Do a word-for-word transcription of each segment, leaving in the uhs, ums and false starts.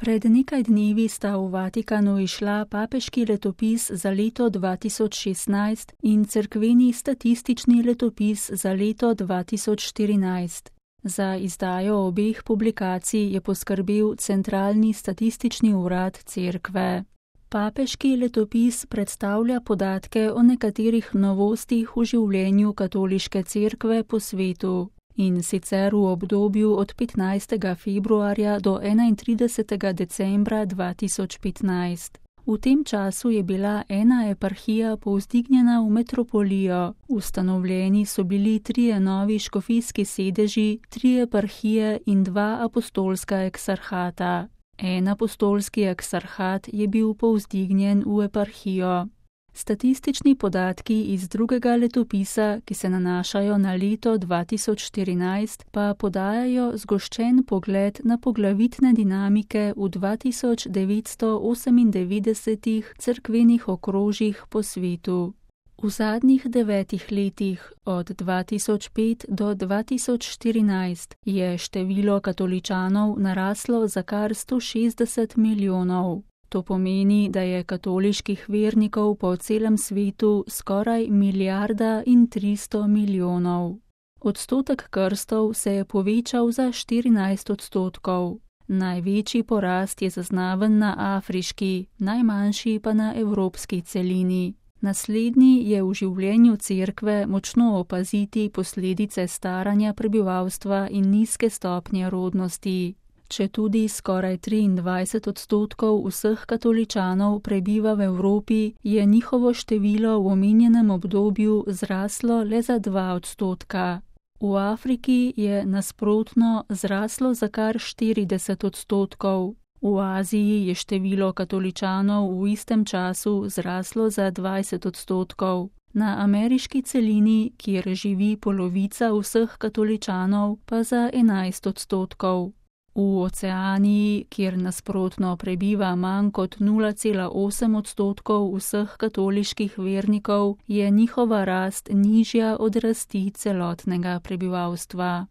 Pred nekaj dnevi sta v Vatikanu izšla papeški letopis za leto dva tisoč šestnajst in cerkveni statistični letopis za leto dva tisoč štirinajst. Za izdajo obeh publikacij je poskrbel Centralni statistični urad Cerkve. Papeški letopis predstavlja podatke o nekaterih novostih v življenju katoliške cerkve po svetu, in sicer v obdobju od petnajstega februarja do enaintridesetega decembra dva tisoč petnajst. V tem času je bila ena eparhija povzdignjena v metropolijo, ustanovljeni so bili trije novi škofijski sedeži, tri eparhije in dva apostolska eksarhata. En apostolski eksarhat je bil povzdignjen v eparhijo. Statistični podatki iz drugega letopisa, ki se nanašajo na leto dva tisoč štirinajst, pa podajajo zgoščen pogled na poglavitne dinamike v dva tisoč devetsto osemindevetdesetih cerkvenih okrožjih po svetu. V zadnjih devetih letih, od dva tisoč pet do dva tisoč štirinajst, je število katoličanov naraslo za kar sto šestdeset milijonov. To pomeni, da je katoliških vernikov po celem svetu skoraj milijarda in tristo milijonov. Odstotek krstov se je povečal za štirinajst odstotkov. Največji porast je zaznaven na afriški, najmanjši pa na evropski celini. Naslednji je v življenju cerkve močno opaziti posledice staranja prebivalstva in nizke stopnje rodnosti. Četudi skoraj triindvajset odstotkov vseh katoličanov prebiva v Evropi, je njihovo število v omenjenem obdobju zraslo le za dva odstotka. V Afriki je nasprotno zraslo za kar štirideset odstotkov. V Aziji je število katoličanov v istem času zraslo za dvajset odstotkov. Na ameriški celini, kjer živi polovica vseh katoličanov, pa za enajst odstotkov. V Oceaniji, kjer nasprotno prebiva manj kot nula cela osem odstotkov vseh katoliških vernikov, je njihova rast nižja od rasti celotnega prebivalstva.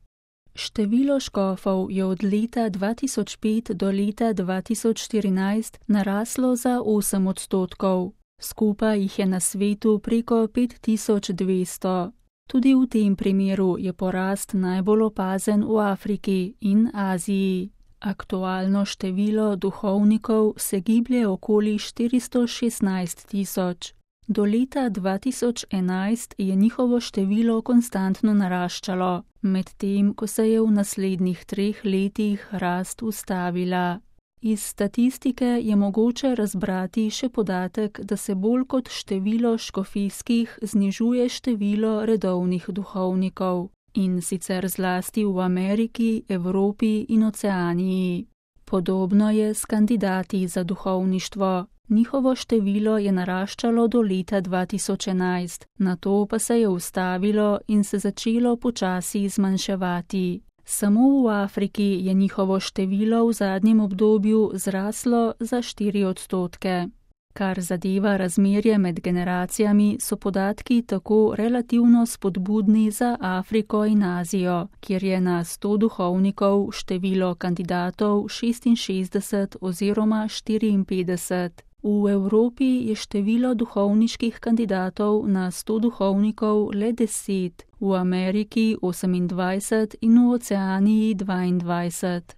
Število škofov je od leta dva tisoč pet do leta dva tisoč štirinajst naraslo za osem odstotkov. Skupaj jih je na svetu preko pet tisoč dvesto. Tudi v tem primeru je porast najbolj opazen v Afriki in Aziji. Aktualno število duhovnikov se giblje okoli štiristo šestnajst tisoč. Do leta dva tisoč enajst je njihovo število konstantno naraščalo, medtem ko se je v naslednjih treh letih rast ustavila. Iz statistike je mogoče razbrati še podatek, da se bolj kot število škofijskih znižuje število redovnih duhovnikov, in sicer zlasti v Ameriki, Evropi in Oceaniji. Podobno je s kandidati za duhovništvo. Njihovo število je naraščalo do leta dva tisoč enajst, nato pa se je ustavilo in se začelo počasi zmanjševati. Samo v Afriki je njihovo število v zadnjem obdobju zraslo za štiri odstotke. Kar zadeva razmerje med generacijami, so podatki tako relativno spodbudni za Afriko in Azijo, kjer je na sto duhovnikov število kandidatov šestinšestdeset oziroma štiriinpetdeset. V Evropi je število duhovniških kandidatov na sto duhovnikov le deset, v Ameriki osemindvajset in v Oceaniji dvaindvajset.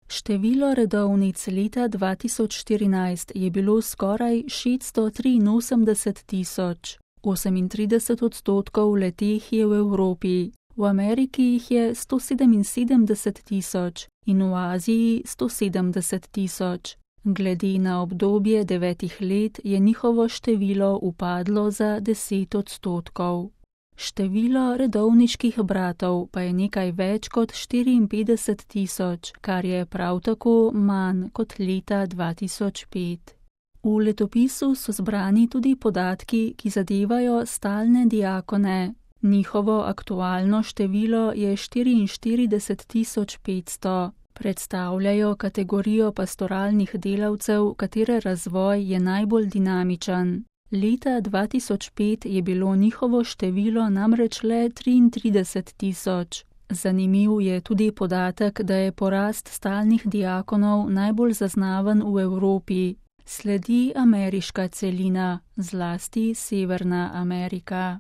Število redovnic leta dva tisoč štirinajst je bilo skoraj šeststo triinosemdeset tisoč. osemintrideset odstotkov le-teh je v Evropi, v Ameriki jih je sto sedeminsedemdeset tisoč in v Aziji sto sedemdeset tisoč. Glede na obdobje devetih let je njihovo število upadlo za deset odstotkov. Število redovniških bratov pa je nekaj več kot štiriinpetdeset tisoč, kar je prav tako manj kot leta dva tisoč pet. V letopisu so zbrani tudi podatki, ki zadevajo stalne diakone. Njihovo aktualno število je štiriinštirideset tisoč petsto. Predstavljajo kategorijo pastoralnih delavcev, katere razvoj je najbolj dinamičen. Leta dva tisoč pet je bilo njihovo število namreč le triintrideset tisoč. Zanimiv je tudi podatek, da je porast stalnih diakonov najbolj zaznaven v Evropi. Sledi ameriška celina, zlasti Severna Amerika.